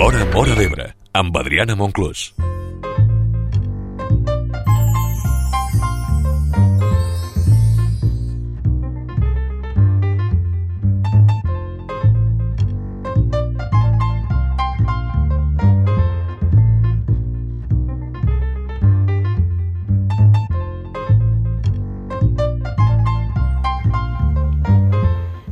L'Hora Móra d'Ebre, amb Adriana Monclús.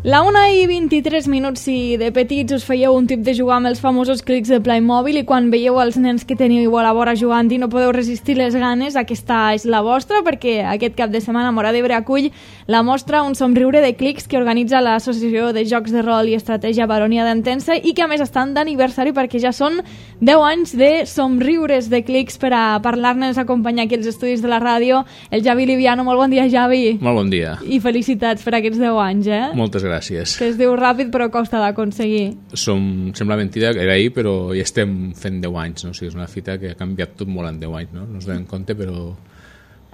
La 1:23, si de petits us fèieu un tip de jugar amb els famosos clics de Playmobil i quan veieu els nens que teniu a la vora jugant i no podeu resistir les ganes, aquesta és la vostra, perquè aquest cap de setmana Móra d'Ebre acull la mostra Un somriure de clics que organitza l'Associació de Jocs de Rol i Estratègia Baronia d'Entença i que a més estan d'aniversari perquè ja són 10 anys de somriures de clics. Per a parlar-nos acompanyar aquí als estudis de la ràdio el Javi Liviano. Molt bon dia, Javi. Molt bon dia. I felicitats per aquests 10 anys, Moltes gràcies. Que es diu ràpid però costa d'aconseguir. Sembla mentida que era ahir, però ja estem fent 10 anys, no? O sigui, és una fita que ha canviat tot molt en 10 anys, no? No ens donem compte, però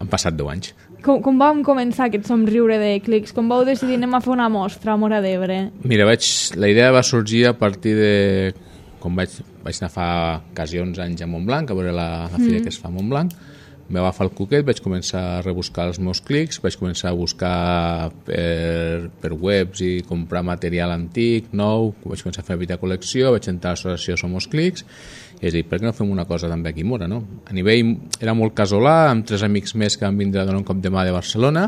han passat 10 anys. Com vam començar aquest somriure de clics? Com vau decidir anem a fer una mostra a Móra d'Ebre? Mira, la idea va sorgir a partir de... Com vaig anar fa quasi 11 anys a Montblanc, a veure la fira que es fa a Montblanc. Vam agafar el cuquet, vaig començar a rebuscar els meus clics, vaig començar a buscar per webs i comprar material antic, nou, vaig començar a fer petita col·lecció, vaig entrar a l'associació Somos Clics, i és dir, per què no fem una cosa també aquí a Móra, no? A nivell era molt casolà, amb 3 amics més que van vindre a donar un cop de mà de Barcelona,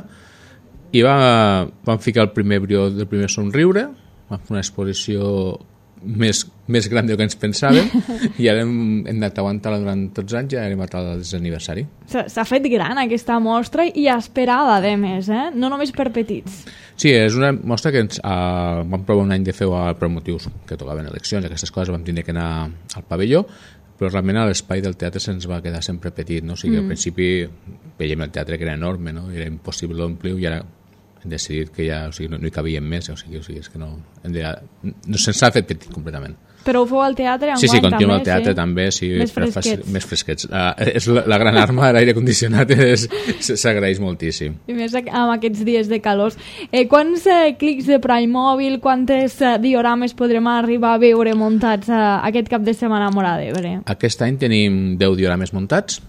i vam ficar el primer brió del primer somriure, vam fer una exposició més gran del que ens pensàvem i ara hem anat aguantant-la durant tots els anys i ara hem acabat el desaniversari. S'ha fet gran aquesta mostra i esperada, a més, no només per petits. Sí, és una mostra que vam provar un any de fer-ho per motius que tocaven eleccions, aquestes coses vam tindre que anar al pavelló, però realment l'espai del teatre se'ns va quedar sempre petit, no? O sigui, al principi veiem el teatre que era enorme, no? Era impossible omplir-ho i ara hem decidit que ja, o sigui, no hi cabíem més, o sigui, és que no se'ns ha fet petit completament. Però ho feu al teatre enguany també? Sí, continuem al teatre sí? També, sí. Més fresquets. És la gran arma, l'aire condicionat s'agraeix moltíssim. I més amb aquests dies de calors. Quants clics de Playmobil, quantes diorames podrem arribar a veure muntats aquest cap de setmana a Móra d'Ebre? Aquest any tenim 10 diorames muntats,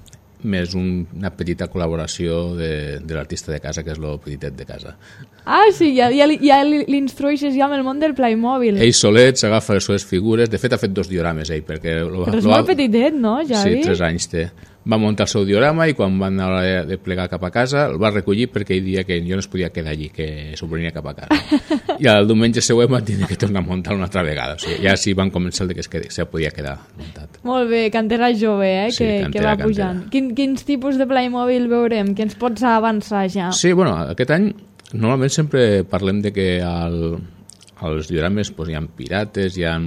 més una petita col·laboració de l'artista de casa, que és lo petitet de casa. Ah, sí, ja l'instrueixes ja amb el món del Playmobil. Ell solet s'agafa les seves figures, de fet ha fet 2 diorames ell, perquè... Però és molt petitet, no, Javi? Sí, 3 anys té. Va muntar el seu diorama i quan van a l'hora de plegar cap a casa el va recollir perquè ell dia que jo no es podia quedar allí, que s'ho venia cap a casa. I el diumenge següent van tenir que tornar a muntar una altra vegada. O sigui, ja sí van començar que se podia quedar muntat. Molt bé, cantera jove, sí, que va pujant. Quins tipus de Playmobil veurem? Què ens pots avançar ja? Sí, bueno, aquest any normalment sempre parlem de que als diorames hi ha pirates, hi ha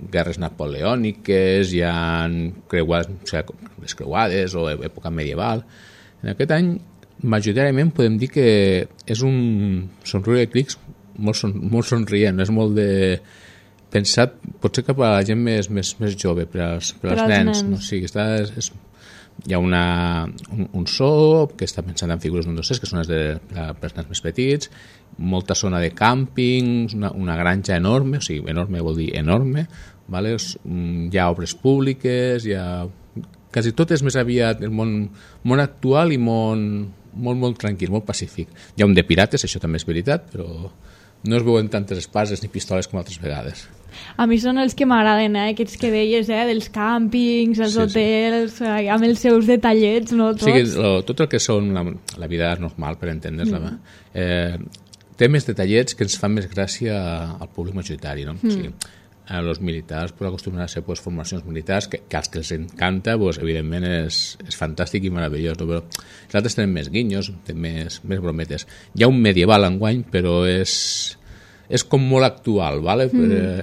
guerres napoleòniques, hi ha les creuades o època medieval. En aquest any, majoritàriament, podem dir que és un somriure de clics molt somrient, és molt de pensat, potser cap a la gent més jove, per als nens. No? O sigui, hi ha un so que està pensant en figures d'un docents, que són per als nens més petits, molta zona de càmping, una granja enorme, o sigui, enorme vol dir enorme, vale? Hi ha obres públiques, quasi tot és més aviat el món actual i molt tranquil, molt pacífic. Hi ha un de pirates, això també és veritat, però no es veuen tantes espases ni pistoles com altres vegades. A mi són els que m'agraden, aquests que deies, dels càmpings, els hotels, amb els seus detallets, no? Tots. Sí, tot el que són la vida normal, per entendre's-la, té més detallets que ens fan més gràcia al públic majoritari, no? O sigui, els militars acostumen a ser formacions militars que als que els encanta, evidentment és fantàstic i meravellós, no? Però els altres tenen més guinyos, tenen més brometes. Hi ha un medieval enguany, però és com molt actual, ¿vale?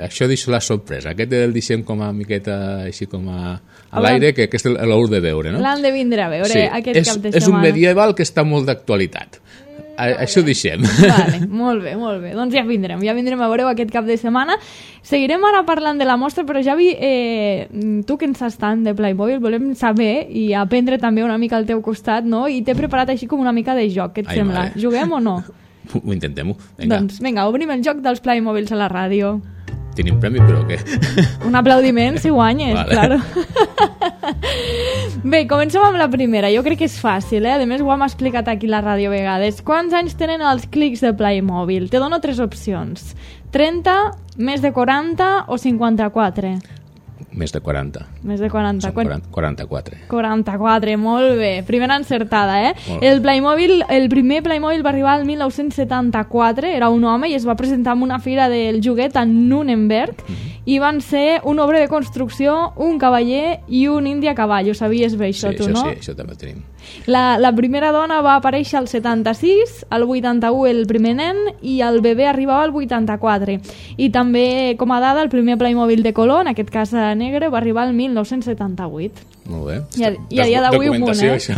Això deixo la sorpresa. Aquest el deixem com a miqueta així com a l'aire, que aquest l'heu de veure, no? L'han de vindre a veure aquest cap de setmana. És un medieval que està molt d'actualitat. Això ho deixem. Vale, molt bé. Doncs ja vindrem a veure aquest cap de setmana. Seguirem ara parlant de la mostra, però Javi, tu que ens saps tant de Playmobil, volem saber i aprendre també una mica al teu costat, no? I t'he preparat així com una mica de joc, què et sembla? Juguem o no? Ho intentem-ho, vinga. Doncs vinga, obrim el joc dels Playmobils a la ràdio. tenim premi, però què? Un aplaudiment si guanyes, Vale. claro. Bé, comencem amb la primera. Jo crec que és fàcil, A més, ho hem explicat aquí a la ràdio a vegades. Quants anys tenen els clics de Playmobil? Te dono 3 opcions. 30, més de 40 o 54? Més de 40. Més de 40. Són 44. 44, molt bé. Primera encertada, Molt bé. El primer Playmobil va arribar al 1974, era un home i es va presentar en una fira del joguet a Nuremberg i van ser una obra de construcció, un cavaller i un indi a cavall. Ho sabies bé, això, tu, no? Sí, això també ho tenim. La primera dona va aparèixer al 76, al 81 el primer nen i el bebè arribava al 84. I també, com a dada, el primer Playmobil de color, en aquest cas negre, va arribar al 1978. Molt bé. I a dia d'avui un munt, Això.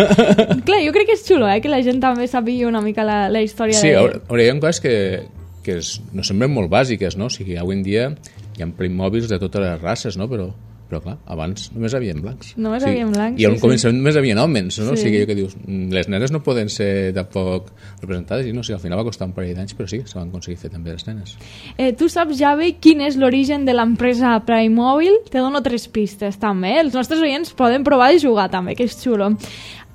Clar, jo crec que és xulo, que la gent també sàpiga una mica la història Sí, de... hi ha coses que no semblen molt bàsiques, no? O sigui, avui en dia hi ha Playmobils de totes les races, no? Però clar, abans només havien blancs. Només havien blancs, I on sí, començament només havien homes, no? Sí. O sigui, que dius, les nenes no poden ser tampoc representades, i no sé, al final va costar un parell d'anys, però sí, se van aconseguir fer també les nenes. Tu saps, Javi, quin és l'origen de l'empresa Playmobil? Te dono 3 pistes, també. Els nostres oients poden provar de jugar, també, que és xulo.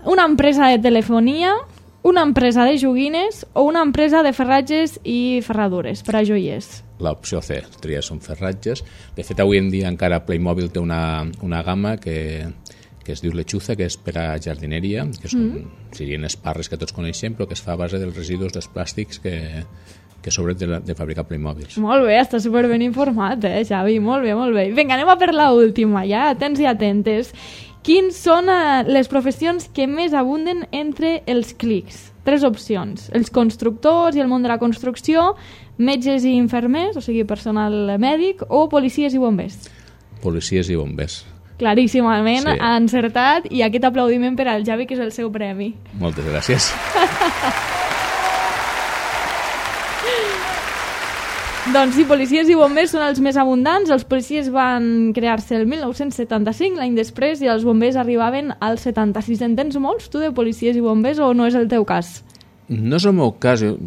Una empresa de telefonia, una empresa de joguines o una empresa de ferratges i ferradures per a joiers? L'opció C, tries són ferratges. De fet, avui en dia encara Playmobil té una gamma que es diu Lechuza, que és per a jardineria, que són, serien esparres que tots coneixem, però que es fa a base dels residus dels plàstics que sobren de fabricar Playmobils. Molt bé, està superben informat, Xavi? Molt bé, molt bé. Vinga, anem a per l'última, ja, atents i atentes. Quins són les professions que més abunden entre els clics? 3 opcions. Els constructors i el món de la construcció, metges i infermers, o sigui, personal mèdic, o policies i bombers. Policies i bombers. Claríssimament, Sí. ha encertat, i aquest aplaudiment per al Javi, que és el seu premi. Moltes gràcies. Doncs sí, policies i bombers són els més abundants. Els policies van crear-se el 1975, l'any després, i els bombers arribaven al 76. En tens molts, tu, de policies i bombers, o no és el teu cas? No és el meu cas, jo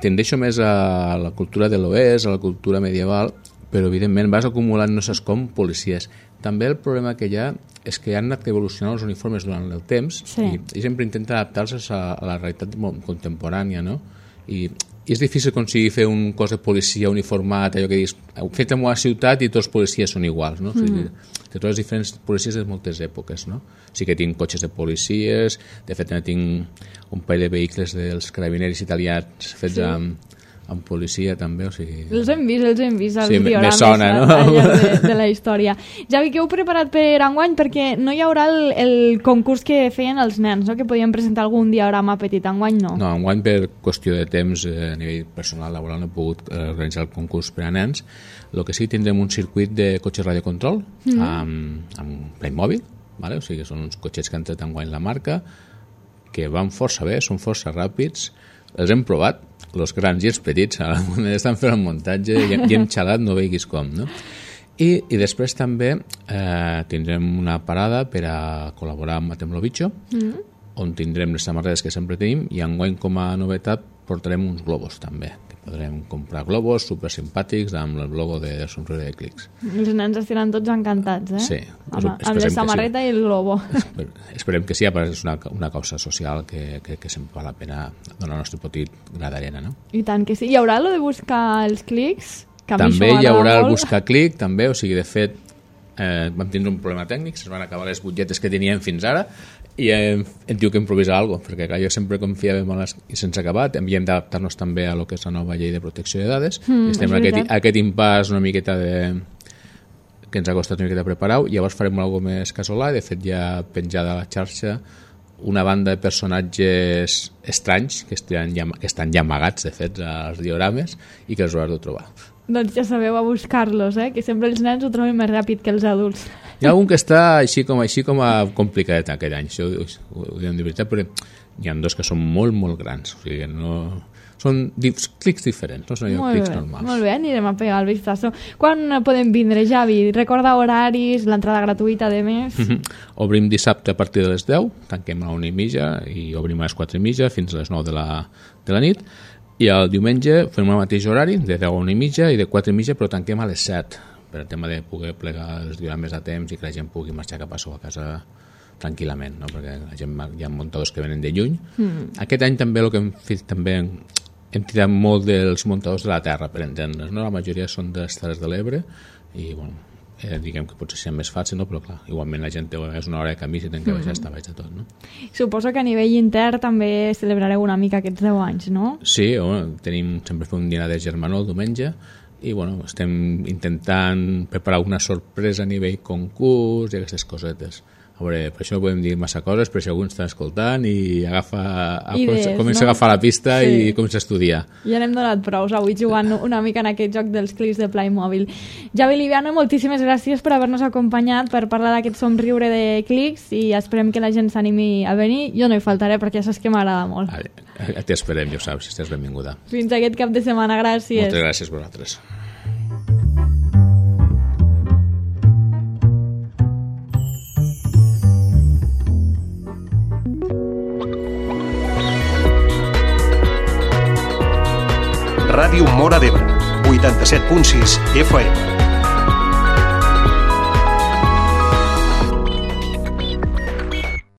tendeixo més a la cultura de l'oest, a la cultura medieval, però evidentment vas acumulant no saps com policies. També el problema que hi ha és que han anat evolucionant els uniformes durant el temps, Sí. i sempre intenten adaptar-se a la realitat contemporània, no? I és difícil aconseguir fer un cos de policia uniformat, allò que dius, fet en una ciutat i tots els policies són iguals, no? O sigui, que totes les diferents policies de moltes èpoques, no? Sí que tinc cotxes de policies, de fet tinc un parell de vehicles dels carabineris italians fets amb policia també, o sigui... Els hem vist als Sí, me diorames sona, no? al llarg de la història. Javi, què heu preparat per enguany? Perquè no hi haurà el concurs que feien els nens, no? Que podien presentar algun diorama petit. Enguany no. No, enguany per qüestió de temps a nivell personal laboral no he pogut organitzar el concurs per a nens. El que sí, tindrem un circuit de cotxes radiocontrol amb Playmobil, vale? O sigui, són uns cotxets que han tret enguany la marca, que van força bé, són força ràpids, els hem provat, els grans i els petits, ara estan fent el muntatge i hem xalat, no veiguis com, no? I després també tindrem una parada per a col·laborar amb Matem lo Bicho, on tindrem les samarretes que sempre tenim, i enguany com a novetat portarem uns globus també, que podrem comprar globus supersimpàtics amb el logo de Somriure de Clics. Els nens estiran tots encantats, Sí. Amb la samarreta i el globo. Esperem que sí, perquè és una causa social que sempre val la pena donar el nostre petit gra d'arena, no? I tant que sí. Hi haurà lo de buscar els clics? Que a mi També això hi haurà m'agrada el molt. buscar clic, també, o sigui, de fet, vam tindre un problema tècnic, es van acabar les butlletes que teníem fins ara, i hem tingut que improvisar alguna cosa, perquè clar, jo sempre confiava en les i sense acabat, havíem d'adaptar-nos també a lo que és la nova llei de protecció de dades, i estem en aquest impàs una miqueta que ens ha costat una miqueta preparar-ho, llavors farem alguna cosa més casolà, i de fet ja penjada a la xarxa una banda de personatges estranys que estan ja amagats, de fet, als diorames, i que els hauràs de trobar. Doncs ja sabeu a buscar-los, que sempre els nens ho troben més ràpid que els adults. Hi ha algun que està així com a complicadet aquest any, això ho diem de veritat, però hi ha dos que són molt, molt grans, o sigui, no... Són clics diferents, no són clics normals. Molt bé, anirem a pegar el vistazo. Quan podem vindre, Javi? Recorda horaris, l'entrada gratuïta, de més? Obrim dissabte a partir de les 10, tanquem a la 1:30 i obrim a les 4:30 fins a les 9 de la nit. I el diumenge fem el mateix horari, de 10 a 1:30 i de 4:30, però tanquem a les 7, per el tema de poder plegar els diorames a temps i que la gent pugui marxar cap a a casa tranquil·lament, no? Perquè la gent, hi ha muntadors que venen de lluny. Aquest any també el que hem fet també hem tirat molt dels muntadors de la terra, per entendre's, no? La majoria són de les Terres de l'Ebre i bueno, diguem que potser sigui més fàcil, no? Però clar, igualment la gent és una hora de camí si tenen que baixar està baix de tot, no? Suposo que a nivell intern també celebrareu una mica aquests 10 anys, no? Sí, bueno, sempre fem un dinar de germanor el diumenge i bueno, estem intentant preparar una sorpresa a nivell concurs i aquestes cosetes. A veure, per això no podem dir massa coses, però si algú està escoltant i comença a agafar la pista i comença a estudiar. Ja n'hem donat prous avui jugant una mica en aquest joc dels clics de Playmobil. Javi Liviano, moltíssimes gràcies per haver-nos acompanyat per parlar d'aquest somriure de clics i esperem que la gent s'animi a venir. Jo no hi faltaré perquè ja saps que m'agrada molt. T'esperem, ja ho saps, estàs benvinguda. Fins aquest cap de setmana, gràcies. Moltes gràcies a vosaltres. Ràdio Móra d'Ebre, 87.6 FM.